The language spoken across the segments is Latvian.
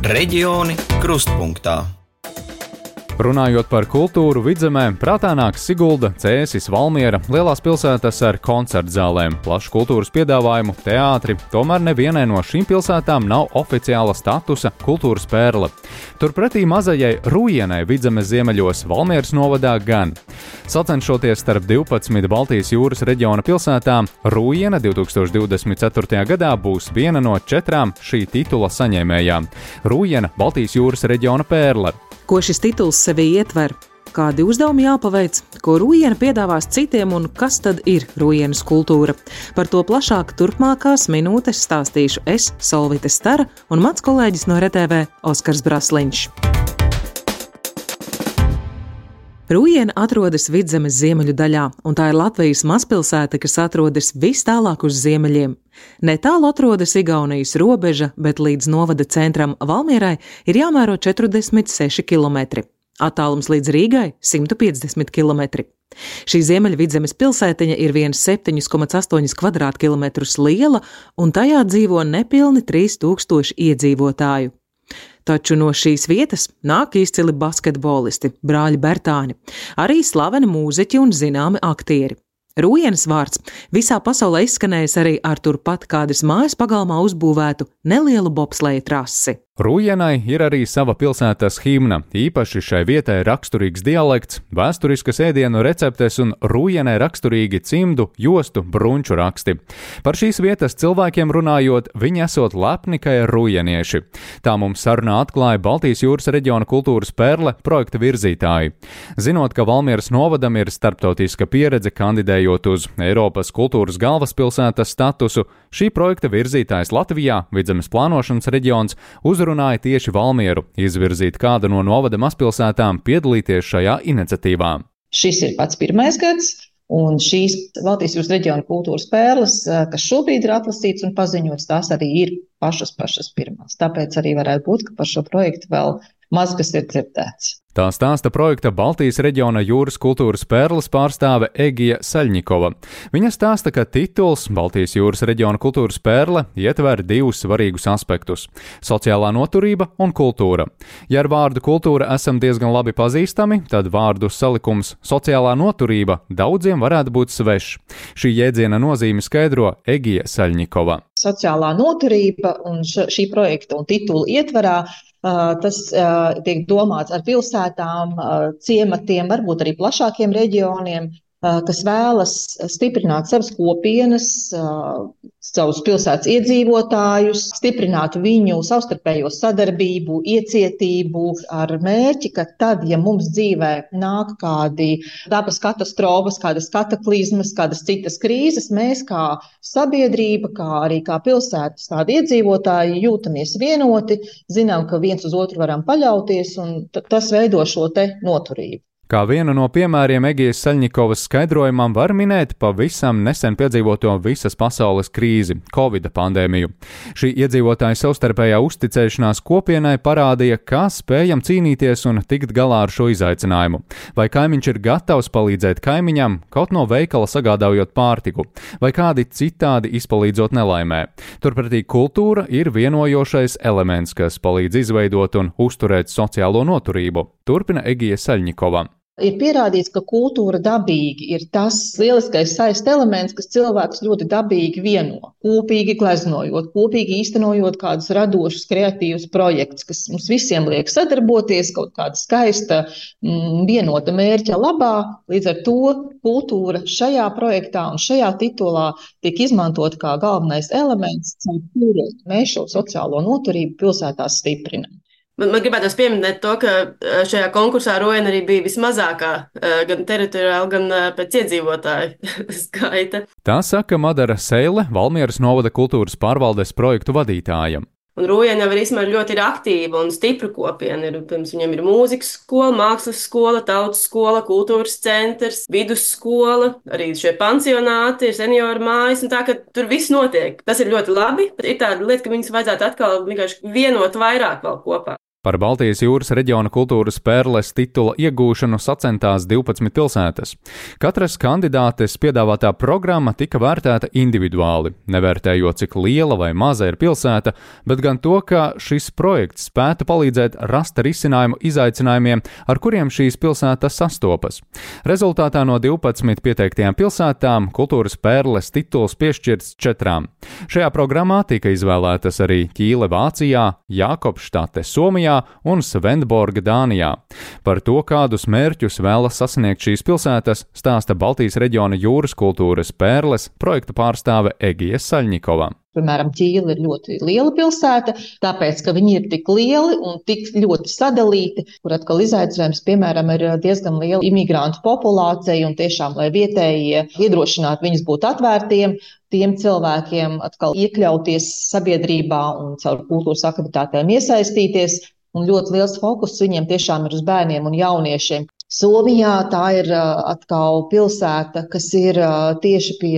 Reģioni krustpunktā. Runājot par kultūru Vidzemē, prātā nāk Sigulda, Cēsis, Valmiera, lielās pilsētas ar koncertzālēm, plašu kultūras piedāvājumu, teātri, tomēr nevienai no šīm pilsētām nav oficiāla statusa kultūras pērle. Turpretī mazajai Rūjienai Vidzemes ziemeļos Valmieras novadā gan. Sacenšoties starp 12 Baltijas jūras reģiona pilsētām, Rūjiena 2024. gadā būs viena no 4 šī titula saņēmējām. Rūjiena Baltijas jūras reģiona pērle. Ko šis tituls sevī ietver? Kādi uzdevumi jāpaveic, ko Rūjiena piedāvās citiem un kas tad ir Rūjienas kultūra? Par to plašāk turpmākās minūtes stāstīšu es, Solvite Stara, un mans kolēģis no RTV Oskars Brasliņš. Rūjiena atrodas Vidzemes ziemeļu daļā, un tā ir Latvijas mazpilsēta, kas atrodas vis tālāk uz ziemeļiem. Netālu atrodas Igaunijas robeža, bet līdz novada centram Valmierai ir jāmēro 46 km. Attālums līdz Rīgai – 150 km. Šī Ziemeļvidzemes pilsētiņa ir 7,8 kvadrātkilometrus liela, un tajā dzīvo nepilni 3000 iedzīvotāju. Taču no šīs vietas nāk izcili basketbolisti, brāļi Bertāni, arī slaveni mūziķi un zināmi aktieri. Rūjienas vārds visā pasaulē izskanējis arī ar turpat kādas mājas pagalmā uzbūvētu nelielu bobsleja trasi. Rūjienai ir arī sava pilsētas himna, īpaši šai vietai raksturīgs dialekts, vēsturiskas ēdienu receptes un Rūjienai raksturīgi cimdu, jostu, brunču raksti. Par šīs vietas cilvēkiem runājot, viņi esot lepni, ka ir rūjienieši. Tā mums sarunā atklāja Baltijas jūras reģiona kultūras pērle projekta virzītāji. Zinot, ka Valmieras novadam ir starptautiska pieredze kandidējot uz Eiropas kultūras galvaspilsētas statusu, šī projekta virzītājs Latvijā, Vidzemes plānošanas reģions, uzrunāja tieši Valmieru, izvirzīt kādu no novada mazpilsētām piedalīties šajā iniciatīvā. Šis ir pats pirmais gads, un šīs Baltijas jūras reģiona kultūras pērles, kas šobrīd ir atlasīts un paziņots, tās arī ir pašas pirmās. Tāpēc arī varētu būt, ka par šo projektu vēl maz kas ir dzirdēts. Tā stāsta projekta Baltijas reģiona jūras kultūras pērles pārstāve Egija Saļņikova. Viņa stāsta, ka tituls Baltijas jūras reģiona kultūras pērle ietver 2 svarīgus aspektus – sociālā noturība un kultūra. Ja ar vārdu kultūra esam diezgan labi pazīstami, tad vārdu salikums sociālā noturība daudziem varētu būt svešs. Šī jēdziena nozīmi skaidro Egija Saļņikova. Sociālā noturība un šī projekta un titula ietvarā tas tiek domāts ar pilsētām, ciematiem, varbūt arī plašākiem reģioniem, kas vēlas stiprināt savas kopienas, savus pilsētas iedzīvotājus, stiprināt viņu savstarpējo sadarbību, iecietību ar mērķi, ka tad, ja mums dzīvē nāk kādi dabas katastrofas, kādas kataklizmas, kādas citas krīzes, mēs kā sabiedrība, kā arī kā pilsētas tādi iedzīvotāji jūtamies vienoti, zinām, ka viens uz otru varam paļauties, un tas veido šo te noturību. Kā vienu no piemēriem Egijas Saļņikovas skaidrojumam var minēt pavisam nesen piedzīvoto visas pasaules krīzi – Covida pandēmiju. Šī iedzīvotāja savstarpējā uzticēšanās kopienai parādīja, kā spējam cīnīties un tikt galā ar šo izaicinājumu. Vai kaimiņš ir gatavs palīdzēt kaimiņam, kaut no veikala sagādājot pārtiku, vai kādi citādi izpalīdzot nelaimē. Turpretī kultūra ir vienojošais elements, kas palīdz izveidot un uzturēt sociālo noturību, turpina Egija Saļņikova. Ir pierādīts, ka kultūra dabīgi ir tas lieliskais saista elements, kas cilvēkus ļoti dabīgi vieno. Kopīgi gleznojot, kopīgi īstenojot kādus radošus, kreatīvus projektus, kas mums visiem liek sadarboties kaut kāda skaista, vienota mērķa labā. Līdz ar to kultūra šajā projektā un šajā titulā tiek izmantot kā galvenais elements, caur kuru mēs šo sociālo noturību pilsētās stiprinam. Man gribētos pieminēt to, ka šajā konkursā Rūjiena arī bija vismazākā, gan teritoriāli, gan pēc iedzīvotāju skaita. Tā saka Madara Seile, Valmieras novada kultūras pārvaldes projektu vadītāja. Un Rūjiena jau ir ļoti aktīva un stipra kopiena. Viņam ir mūzikas skola, mākslas skola, tautas skola, kultūras centrs, vidusskola, arī šie pansionāti, ir senioru mājas, un tā, ka tur viss notiek. Tas ir ļoti labi, bet ir tāda lieta, ka viņas vajadzētu atkal vienkārši vienot vairāk vēl kopā. Par Baltijas jūras reģiona kultūras perles titula iegūšanu sacentās 12 pilsētas. Katras kandidātes piedāvātā programma tika vērtēta individuāli, nevērtējot, cik liela vai maza ir pilsēta, bet gan to, ka šis projekts spētu palīdzēt rast risinājumu izaicinājumiem, ar kuriem šīs pilsētas sastopas. Rezultātā no 12 pieteiktajām pilsētām kultūras perles tituls piešķirts 4. Šajā programmā tika izvēlētas arī Ķīle Vācijā, Jākopštate Somijā un Svendborga Dānijā. Par to, kādus mērķus vēlas sasniegt šīs pilsētas, stāsta Baltijas reģiona jūras kultūras perles projekta pārstāve Egija Saļņikova. Piemēram, Ķīle ir ļoti liela pilsēta, tāpēc, ka viņi ir tik lieli un tik ļoti sadalīti, kur atkal izaicinājums, piemēram, ir diezgan liela imigrantu populācija un tiešām, lai vietējie iedrošinātu viņus būt atvērtiem, tiem cilvēkiem atkal iekļauties sabiedrībā un caur kultūras aktivitātēm iesaistīties. Un ļoti liels fokus viņiem tiešām ir uz bērniem un jauniešiem. Somijā tā ir atkal pilsēta, kas ir tieši pie,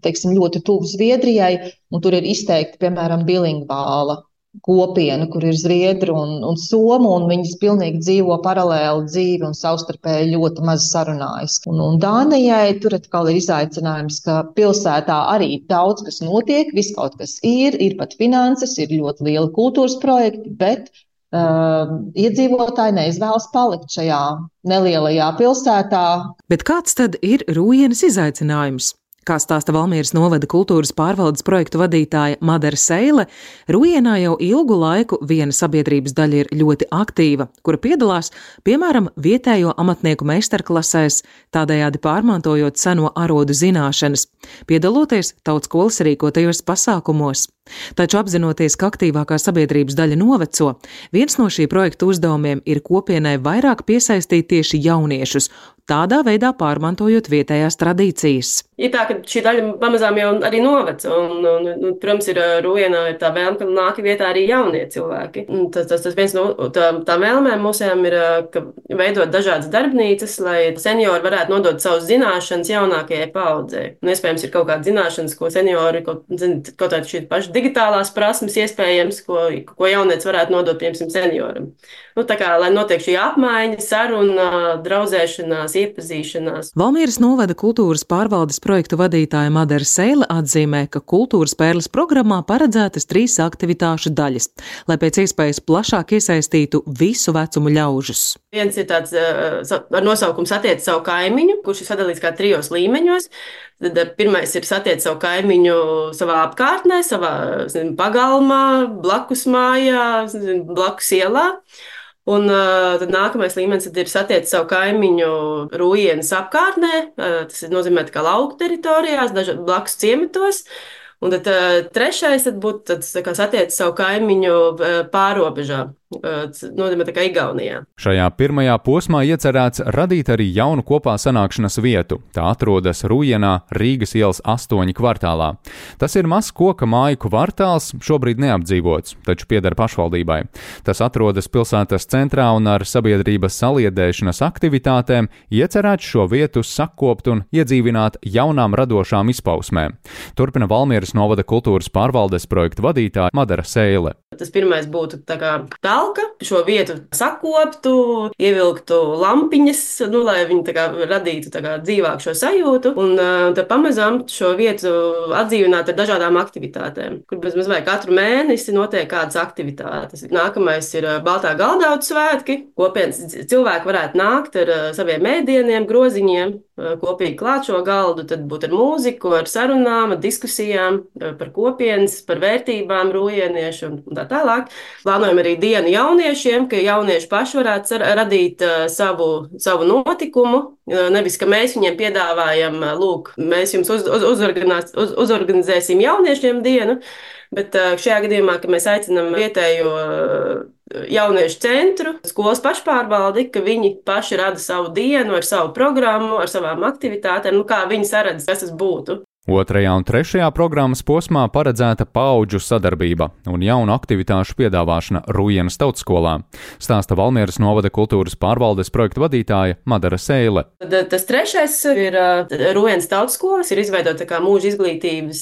teiksim, ļoti tuvu Zviedrijai, un tur ir izteikti, piemēram, bilingvāla kopiena, kur ir zviedru un somu, un viņas pilnīgi dzīvo paralēli dzīvi un savstarpēji ļoti maz sarunājas. Un Dānijai tur atkal ir izaicinājums, ka pilsētā arī daudz kas notiek, viss kaut kas ir pat finanses, ir ļoti lieli kultūras projekti, bet iedzīvotāji neizvēlas palikt šajā nelielajā pilsētā. Bet kāds tad ir Rūjenes izaicinājums? Kā stāsta Valmieras novada kultūras pārvaldes projektu vadītāja Madara Seile, Rūjienā jau ilgu laiku viena sabiedrības daļa ir ļoti aktīva, kura piedalās, piemēram, vietējo amatnieku meistarklasēs, tādējādi pārmantojot seno arodu zināšanas, piedaloties tautskolas rīkotajos pasākumos. Taču apzinoties, ka aktīvākā sabiedrības daļa noveco, viens no šī projekta uzdevumiem ir kopienai vairāk piesaistīt tieši jauniešus, tādā veidā pārmantojot vietējās tradīcijas. Ir tā, ka šī daļa pamazām jau arī noveco, un protams, ir Rūjienā ir tā vēlme, ka nāk vietā arī jaunie cilvēki. Tas viens no tā vēlmēm mūsējām ir, ka veidot dažādas darbnīcas, lai seniori varētu nodot savus zināšanas jaunākajai paaudzei. Un iespējams ir kaut kāda zināšanas, ko seniori, kaut tāda šī paša digitālās prasmes iespējams, ko jaunietis varētu nodot, piemēram, senioram. Tā kā, lai notiek šī apmaiņa, saruna, draudzēšanās, iepazīšanās. Valmieras novada kultūras pārvaldes projektu vadītāja Madara Seile atzīmē, ka kultūras perles programmā paredzētas 3 aktivitāšu daļas, lai pēc iespējas plašāk iesaistītu visu vecumu ļaužus. Viens ir tāds ar nosaukumu Satiec savu kaimiņu, kurš ir sadalīts kā 3 līmeņos. Tad pirmais ir satiec savu kaimiņu savā apkārtnē, savā pagalmā, blakus mājā, blakus ielā. Un tad nākamais līmenis ir satiec savu kaimiņu Rūjienas apkārtnē, tas nozīmē tā kā lauku teritorijās, blakus ciematos. Un tad trešais būtu satiec savu kaimiņu pārobežā. Tas nozīmē tā kā Igaunijā. Šajā pirmajā posmā iecerēts radīt arī jaunu kopā sanākšanas vietu. Tā atrodas Rūjienā, Rīgas ielas 8 kvartālā. Tas ir mazs koka māju kvartāls, šobrīd neapdzīvots, taču pieder pašvaldībai. Tas atrodas pilsētas centrā un ar sabiedrības saliedēšanas aktivitātēm iecerēts šo vietu sakopt un iedzīvināt jaunām radošām izpausmēm. Turpina Valmieras novada kultūras pārvaldes projektu vadītāja Madara Seile. Tas pirmais būtu tā kā talka, šo vietu sakoptu, ievilktu lampiņas, lai viņi tā kā radītu tā kā dzīvāku šo sajūtu, un tad pamazām šo vietu atdzīvināt ar dažādām aktivitātēm, kur bez mazliet katru mēnesi notiek kādas aktivitātes. Nākamais ir Baltā galdaudu svētki, kopienas cilvēki varētu nākt ar saviem ēdieniem, groziņiem, kopīgi klāt šo galdu, tad būt ar mūziku, ar sarunām, ar diskusijām par kopienas, par vērtībām rūjieniešu un tā tālāk. Plānojam arī dienu jauniešiem, ka jaunieši paši varētu radīt savu notikumu. Nevis, ka mēs viņiem piedāvājam, lūk, mēs jums uzorganizēsim jauniešiem dienu, bet šajā gadījumā, ka mēs aicinam vietējo jauniešu centru, skolas pašpārvaldi, ka viņi paši rada savu dienu ar savu programmu, ar savām aktivitātēm, kā viņi saredz, kas tas būtu. 2. un 3. programmas posmā paredzēta paudžu sadarbība un jaunu aktivitāšu piedāvāšana Rūjenas tautskolā, stāsta Valmieras novada kultūras pārvaldes projekta vadītāja Madara Seile. Tas 3. ir Rūjenas tautskolas, ir izveidota kā mūža izglītības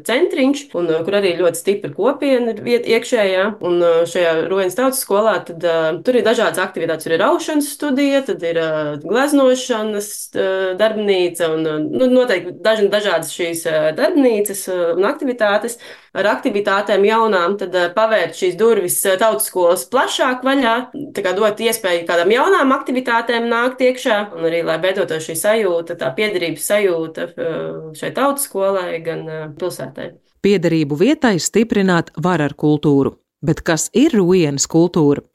centriņš, un kur arī ļoti stipra kopiena ir iekšējā. Un šajā Rūjenas tautskolā tad tur ir dažādas aktivitātes, tur ir raušanas studija, tad ir gleznošanas darbnīca un noteikti dažādas šīs darbnīcas un aktivitātes. Ar aktivitātēm jaunām tad pavērt šīs durvis tautskolas plašāk vaļā, tā kā dot iespēju kādām jaunām aktivitātēm nākt iekšā, un arī, lai beidotos šī sajūta, tā piederības sajūta šai tautskolai gan pilsētai. Piederību vietai stiprināt var ar kultūru. Bet kas ir Rūjenas kultūra?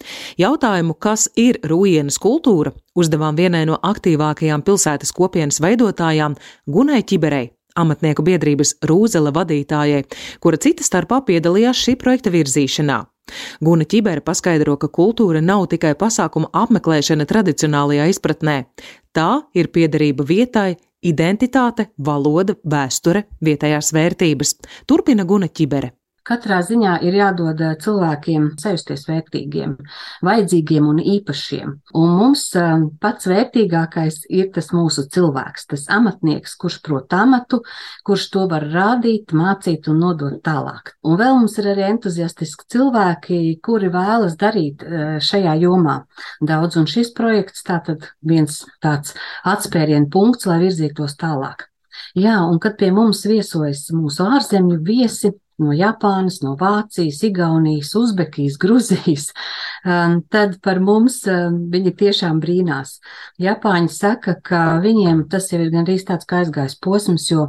Jautājumu, kas ir Rūjenas kultūra, uzdevām vienai no aktīvākajām pilsētas kopienas veidotājām Gunai Ķiberei, amatnieku biedrības Rūzele vadītājai, kura cita starpā piedalījās šī projekta virzīšanā. Guna Ķibere paskaidro, ka kultūra nav tikai pasākuma apmeklēšana tradicionālajā izpratnē. Tā ir piederība vietai, identitāte, valoda, vēsture, vietējās vērtības. Turpina Guna Ķibere. Katrā ziņā ir jādod cilvēkiem sajusties vērtīgiem, vajadzīgiem un īpašiem. Un mums pats vērtīgākais ir tas mūsu cilvēks, tas amatnieks, kurš prot amatu, kurš to var rādīt, mācīt un nodot tālāk. Un vēl mums ir arī entuziastiski cilvēki, kuri vēlas darīt šajā jomā daudz. Un šis projekts tātad viens tāds atspērienu punkts, lai virzītos tālāk. Jā, un kad pie mums viesojas mūsu ārzemju viesi, no Japānas, no Vācijas, Igaunijas, Uzbekijas, Gruzijas, tad par mums viņi tiešām brīnās. Japāņi saka, ka viņiem tas jau ir gandrīz tāds kā aizgājis posms, jo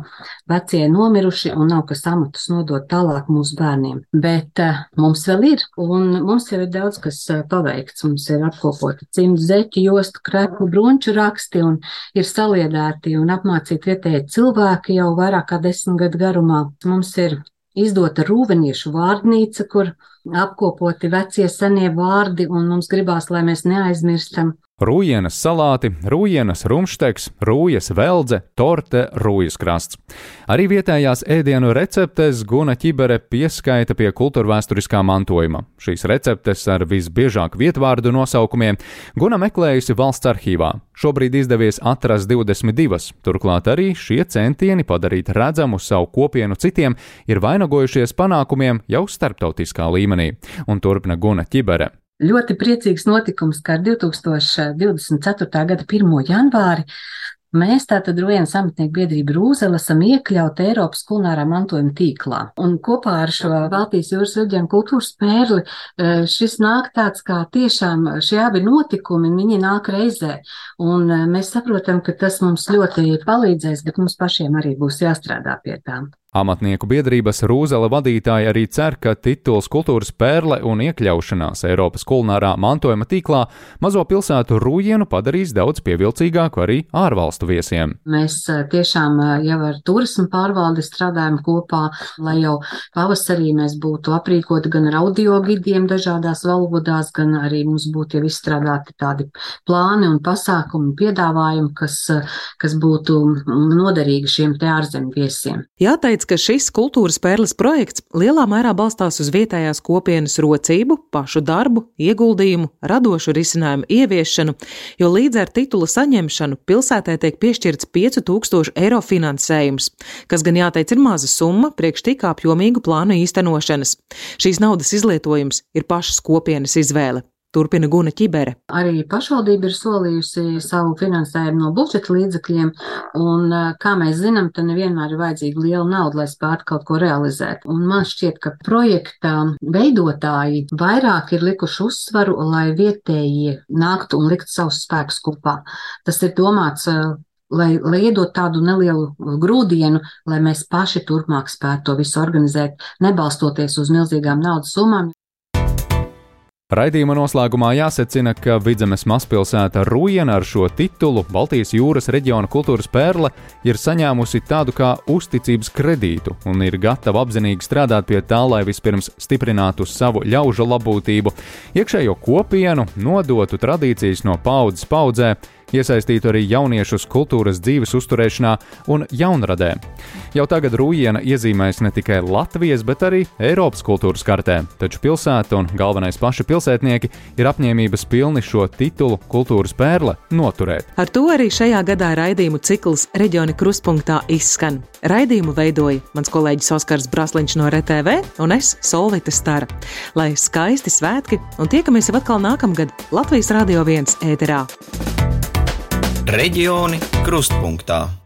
vecie nomiruši un nav kas amatus nodot tālāk mūsu bērniem. Bet mums vēl ir, un mums jau ir daudz kas paveikts. Mums ir apkopoti cimdu, zeķu, jostu, kreklu, brunču raksti un ir saliedēti un apmācīti vietēji cilvēki jau vairāk kā 10 gadu garumā. Mums ir izdota rūveniešu vārdnīca, kur apkopoti vecie senie vārdi, un mums gribās, lai mēs neaizmirstam. Rūjenas salāti, Rūjenas rumšteks, Rūjas veldze, torte, Rūjas krasts. Arī vietējās ēdienu receptes Guna Ķibere pieskaita pie kultūrvēsturiskā mantojuma. Šīs receptes ar visbiežāk vietvārdu nosaukumiem Guna meklējusi valsts arhīvā. Šobrīd izdevies atrast 22, turklāt arī šie centieni padarīt redzamu savu kopienu citiem ir vainagojušies panākumiem jau starptautiskā līmenī. Un turpina Guna Ķibere. Ļoti priecīgs notikums, ka ar 2024. gada 1. janvāri mēs tātad Rūjenas amatnieku biedrību Rūzele esam iekļauti Eiropas kulinārā mantojuma tīklā. Un kopā ar šo Baltijas jūras reģionu kultūras pērli šis nāk tāds kā tiešām šie abi notikumi, viņi nāk reizē. Un mēs saprotam, ka tas mums ļoti palīdzēs, bet mums pašiem arī būs jāstrādā pie tām. Amatnieku biedrības Rūzele vadītāji arī cer, ka tituls kultūras pērle un iekļaušanās Eiropas kulinārā mantojuma tīklā mazo pilsētu Rūjenu padarīs daudz pievilcīgāku arī ārvalstu viesiem. Mēs tiešām jau ar turismu pārvaldi strādājam kopā, lai jau pavasarī mēs būtu aprīkoti gan ar audio gidiem dažādās valodās, gan arī mums būtu jau izstrādāti tādi plāni un pasākumi, piedāvājumi, kas būtu noderīgi šiem te ārzemju viesiem. Jāteic, ka šis kultūras pērles projekts lielā mērā balstās uz vietējās kopienas rocību, pašu darbu, ieguldījumu, radošu risinājumu ieviešanu, jo līdz ar titula saņemšanu pilsētē tiek piešķirts 5000 eiro finansējums, kas gan jāteic ir maza summa priekš tik apjomīgu plānu īstenošanas. Šīs naudas izlietojums ir pašas kopienas izvēle. Turpina Guna Ķibere. Arī pašvaldība ir solījusi savu finansējumu no budžeta līdzekļiem, un, kā mēs zinām, tad nevienmēr ir vajadzīga liela nauda, lai spētu kaut ko realizēt. Un man šķiet, ka projekta veidotāji vairāk ir likuši uzsvaru, lai vietējie nāktu un likt savus spēkus kopā. Tas ir domāts, lai iedot tādu nelielu grūdienu, lai mēs paši turpmāk spētu to visu organizēt, nebalstoties uz milzīgām naudas summām. Raidījuma noslēgumā jāsecina, ka Vidzemes mazpilsēta Rūjena ar šo titulu Baltijas jūras reģiona kultūras pērle ir saņēmusi tādu kā uzticības kredītu un ir gatava apzinīgi strādāt pie tā, lai vispirms stiprinātu savu ļaužu labūtību, iekšējo kopienu, nodotu tradīcijas no paudzes paudzē, iesaistītu arī jauniešus kultūras dzīves uzturēšanā un jaunradē. Jau tagad Rūjiena iezīmēs ne tikai Latvijas, bet arī Eiropas kultūras kartē, taču pilsēta un galvenais paši pilsētnieki ir apņēmības pilni šo titulu kultūras pērle noturēt. Ar to arī šajā gadā raidījumu cikls Reģioni krustpunktā izskan. Raidījumu veidoja mans kolēģis Oskars Brasliņš no RTV un es, Solvita Stara. Lai skaisti svētki un tiekamies jau atkal nākamgad Latvijas Radio 1 ēterā. Reģioni krustpunktā.